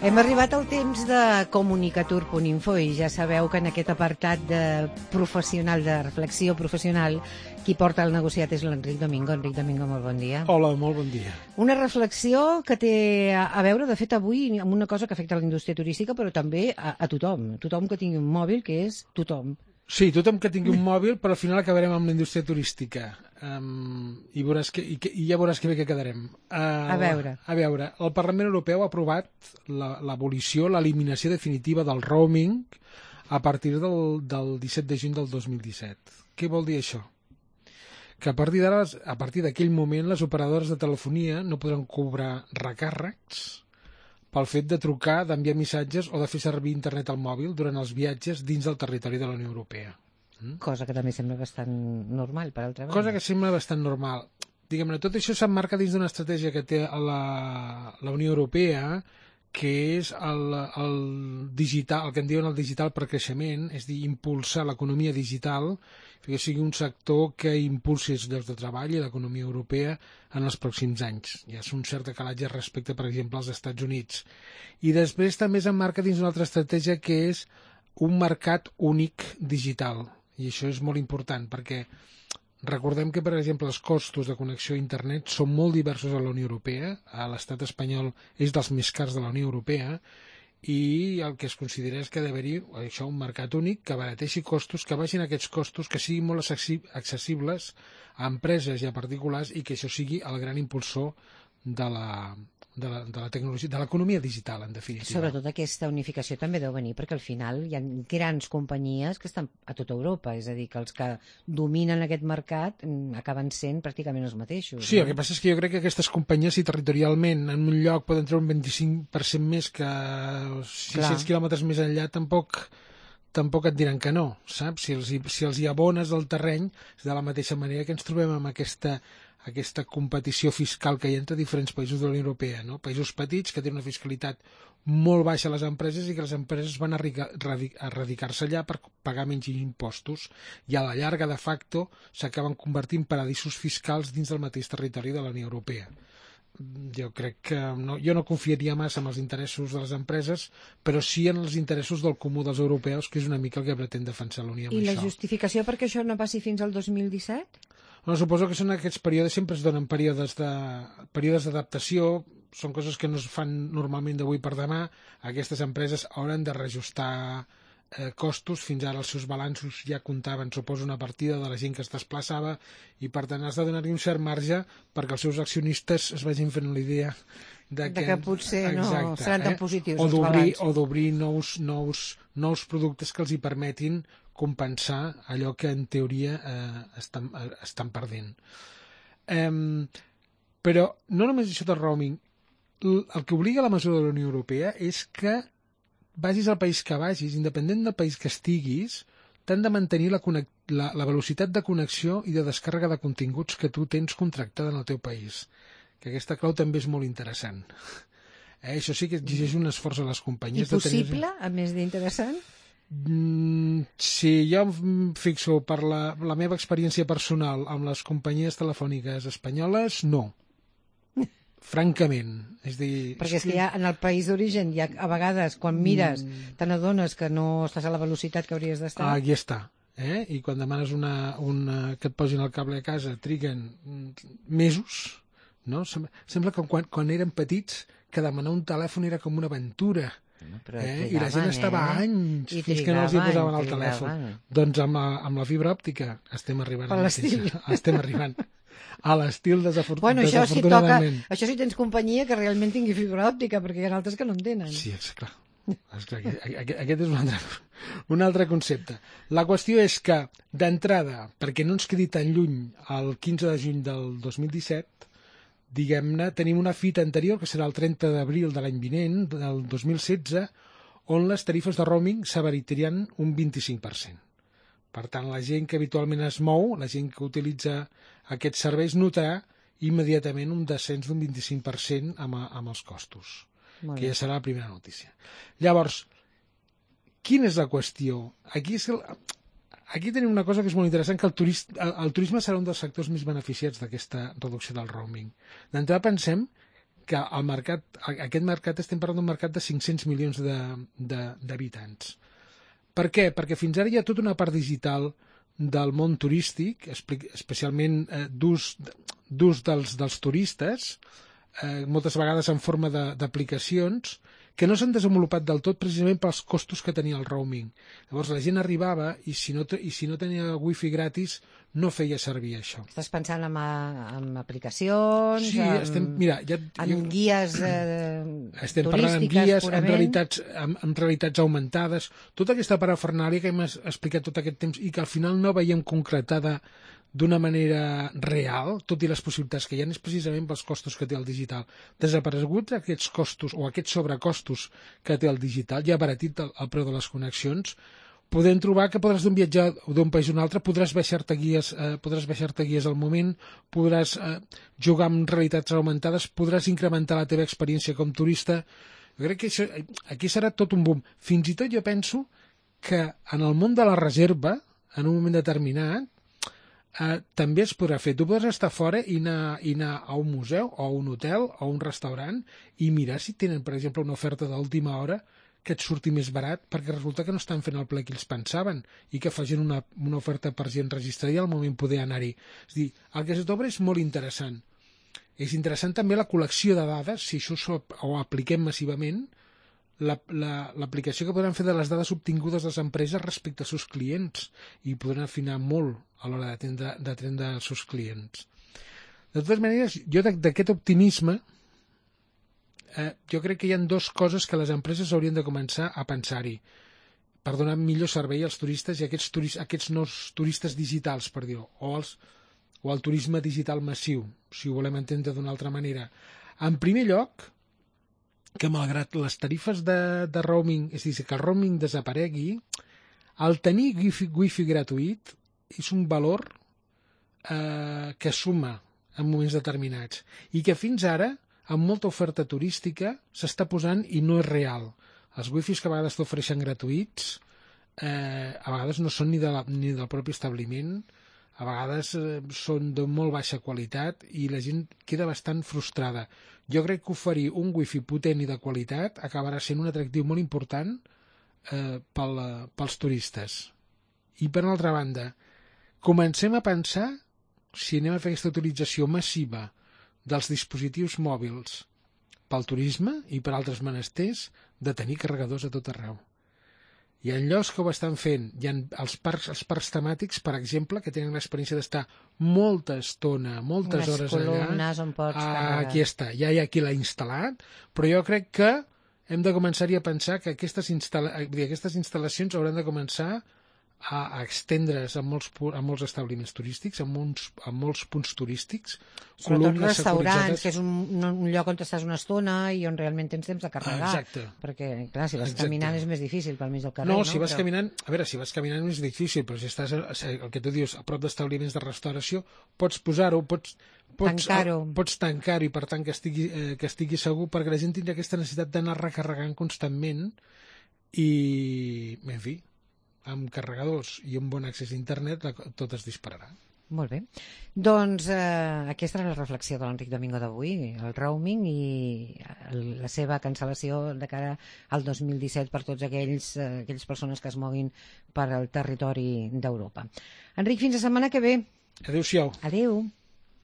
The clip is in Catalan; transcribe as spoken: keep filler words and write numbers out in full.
Hem arribat al temps de comunicatur punt info i ja sabeu que en aquest apartat de professional, de reflexió professional, qui porta el negociat és l'Enric Domingo. Enric Domingo, molt bon dia. Hola, molt bon dia. Una reflexió que té a veure, de fet, avui amb una cosa que afecta la indústria turística, però també a, a tothom. Tothom que tingui un mòbil, que és tothom. Sí, tothom que tingui un mòbil, però al final acabarem amb la indústria turística. Um, i, veuràs que, i, que, I ja veuràs que bé que quedarem. Uh, a veure. A veure, el Parlament Europeu ha aprovat l'abolició, l'eliminació definitiva del roaming a partir del, del disset de juny del dos mil disset. Què vol dir això? Que a partir d'ara, a partir d'aquell moment, les operadores de telefonia no podran cobrar recàrrecs pel fet de trucar, d'enviar missatges o de fer servir internet al mòbil durant els viatges dins del territori de la Unió Europea. Mm? Cosa que també sembla bastant normal, per altra banda. Cosa que sembla bastant normal. Diguem-ne, tot això s'emmarca dins d'una estratègia que té la, la Unió Europea, que és el, el digital, el que en diuen el digital per creixement, és a dir, impulsar l'economia digital, que sigui un sector que impulsi els llocs de treball i l'economia europea en els pròxims anys. Hi ha un cert decalatge respecte, per exemple, als Estats Units. I després també s'emmarca dins d'una altra estratègia que és un mercat únic digital. I això és molt important perquè recordem que, per exemple, els costos de connexió a internet són molt diversos a la Unió Europea. A l'estat espanyol és dels més cars de la Unió Europea i el que es considera és que ha d'haver-hi això, un mercat únic que abarateixi costos, que baixin aquests costos, que siguin molt accessibles a empreses i a particulars i que això sigui el gran impulsor de la, de la, de la tecnologia, de l'economia digital, en definitiva. Sobretot aquesta unificació també deu venir perquè al final hi ha grans companyies que estan a tota Europa, és a dir, que els que dominen aquest mercat acaben sent pràcticament els mateixos. Sí, no? El que passa és que jo crec que aquestes companyies, si territorialment en un lloc poden treure un vint-i-cinc per cent més que sis-cents quilòmetres més enllà, tampoc tampoc et diran que no, saps? Si els, si els hi abones el terreny, és de la mateixa manera que ens trobem amb aquesta aquesta competició fiscal que hi ha entre diferents països de la Unió Europea, no? Països petits que tenen una fiscalitat molt baixa a les empreses i que les empreses van a radicar-se allà per pagar menys impostos i a la llarga, de facto, s'acaben convertint paradisos fiscals dins del mateix territori de la Unió Europea. Jo crec que no, jo no confiaria massa en els interessos de les empreses, però sí en els interessos del comú dels europeus, que és una mica el que pretén defensar la Unió amb I això. la justificació perquè això no passi fins al dos mil disset? No, suposo que són aquests períodes, sempre es donen períodes de períodes d'adaptació, són coses que no es fan normalment d'avui per demà. Aquestes empreses hauran de reajustar eh, costos, fins ara els seus balanços ja comptaven, suposo, una partida de la gent que es desplaçava i per tant has de donar-hi un cert marge perquè els seus accionistes es vagin fent la idea de que, de que potser exacte, no seran tan eh? positius o els d'obrir balanços. o d'obrir nous, nous, nous productes que els hi permetin compensar allò que en teoria eh, estan, eh, estan perdent. Eh, però no només això del roaming, el que obliga la mesura de la Unió Europea és que vagis al país que vagis, independent del país que estiguis, t'han de mantenir la, la, la velocitat de connexió i de descàrrega de continguts que tu tens contractada en el teu país. Que aquesta clau també és molt interessant. Eh, això sí que exigeix un esforç a les companyies. I possible, de tenir... a més d'interessant? Mm, si jo em fixo per la, la meva experiència personal amb les companyies telefòniques espanyoles, no. Francament. És dir, perquè és que ja en el país d'origen, ja a vegades, quan mires, mm. te n'adones que no estàs a la velocitat que hauries d'estar. Ah, aquí està. Eh? I quan demanes una, una, que et posin el cable a casa, triguen mesos, no? Sembla que quan, quan eren petits que demanar un telèfon era com una aventura. No, eh? Trigaven, I la gent estava eh? anys I fins trigaven, que no els hi posaven el trigaven. telèfon. Doncs amb la, amb la fibra òptica estem arribant per l'estil. Estem arribant a l'estil desafort... bueno, això desafortunadament. Si toca, això si tens companyia que realment tingui fibra òptica, perquè hi ha altres que no en tenen. Sí, és clar. És clar aquest, aquest és un altre, un altre concepte. La qüestió és que, d'entrada, perquè no ens quedi tan lluny el quinze de juny del dos mil disset, diguem-ne, tenim una fita anterior, que serà el trenta d'abril de l'any vinent, del dos mil setze, on les tarifes de roaming s'abarataran un vint-i-cinc per cent. Per tant, la gent que habitualment es mou, la gent que utilitza aquests serveis, notarà immediatament un descens d'un vint-i-cinc per cent amb, amb els costos, que ja serà la primera notícia. Llavors, quina és la qüestió? Aquí, és el, aquí tenim una cosa que és molt interessant, que el, turist, el, el turisme serà un dels sectors més beneficiats d'aquesta reducció del roaming. D'entrada pensem que el mercat, aquest mercat, estem parlant d'un mercat de cinc-cents milions d'habitants. Per què? Perquè fins ara hi ha tota una part digital del món turístic, especialment eh, d'ús dels, dels turistes, eh, moltes vegades en forma d'aplicacions, que no s'han desenvolupat del tot precisament pels costos que tenia el roaming. Llavors la gent arribava i si no, i si no tenia wifi gratis no feia servir això. Estàs pensant en, en aplicacions, sí, en, estem, mira, ja, en jo, guies eh, estem turístiques, parlant en guies, purament. en realitats, en, en realitats augmentades, tota aquesta parafernàlia que hem explicat tot aquest temps i que al final no veiem concretada d'una manera real, tot i les possibilitats que hi ha, és precisament pels costos que té el digital. Desapareguts aquests costos o aquests sobrecostos que té el digital, ja abaratit el, el preu de les connexions, podem trobar que podràs d'un viatjar d'un país a un altre, podràs baixar-te guies, eh, podràs baixar-te guies al moment, podràs eh, jugar amb realitats augmentades, podràs incrementar la teva experiència com turista. Jo crec que això, aquí serà tot un boom. Fins i tot jo penso que en el món de la reserva, en un moment determinat, Uh, també es podrà fer. Tu podràs estar fora i anar, i anar a un museu o a un hotel o a un restaurant i mirar si tenen, per exemple, una oferta d'última hora que et surti més barat, perquè resulta que no estan fent el ple que ells pensaven i que facin una, una oferta per gent registrada i al moment poder anar-hi. És a dir, el que se t'obre és molt interessant. És interessant també la col·lecció de dades, si això ho apliquem massivament, l'aplicació que podran fer de les dades obtingudes de les empreses respecte als seus clients i podran afinar molt a l'hora d'atendre els seus clients. De totes maneres, jo d'aquest optimisme eh, jo crec que hi ha dues coses que les empreses haurien de començar a pensar-hi per donar millor servei als turistes i a aquests, turis, aquests nous turistes digitals, per dir-ho, o, els, o el turisme digital massiu, si ho volem entendre d'una altra manera. En primer lloc, que malgrat les tarifes de, de roaming, és a dir, que el roaming desaparegui, el tenir wifi, wifi gratuït és un valor eh, que suma en moments determinats i que fins ara, amb molta oferta turística, s'està posant i no és real. Els wifis que a vegades t'ofereixen gratuïts eh, a vegades no són ni, de la, ni del propi establiment, a vegades eh, són de molt baixa qualitat i la gent queda bastant frustrada. Jo crec que oferir un wifi potent i de qualitat acabarà sent un atractiu molt important eh, pel, pels turistes. I per altra banda, comencem a pensar si anem a fer aquesta utilització massiva dels dispositius mòbils pel turisme i per altres menesters de tenir carregadors a tot arreu. Hi ha llocs que ho estan fent. Hi ha els parcs, els parcs temàtics, per exemple, que tenen l'experiència d'estar molta estona, moltes unes hores allà. On pots ah, aquí està, ja hi ha qui l'ha instal·lat, però jo crec que hem de començar-hi a pensar que aquestes, instal·la... aquestes instal·lacions hauran de començar a, a estendre's a molts, a molts establiments turístics, a molts, a molts punts turístics. Sobretot restaurants, que és un, un lloc on estàs una estona i on realment tens temps de carregar. Ah, exacte. Perquè, clar, si vas exacte. caminant és més difícil pel mig del carrer. No, no? si vas però... caminant, a veure, si vas caminant és difícil, però si estàs, el que tu dius, a prop d'establiments de restauració, pots posar-ho, pots, pots tancar-ho, pots tancar-ho i per tant que estigui, eh, que estigui segur, perquè la gent tindrà aquesta necessitat d'anar recarregant constantment i, en fi, amb carregadors i un bon accés a internet tot es dispararà. Molt bé. Doncs eh, aquesta era la reflexió de l'Enric Domingo d'avui, el roaming i el, la seva cancel·lació de cara al dos mil disset per tots aquells, eh, aquelles persones que es moguin per al territori d'Europa. Enric, fins la setmana que ve. Adéu-siau. Adéu.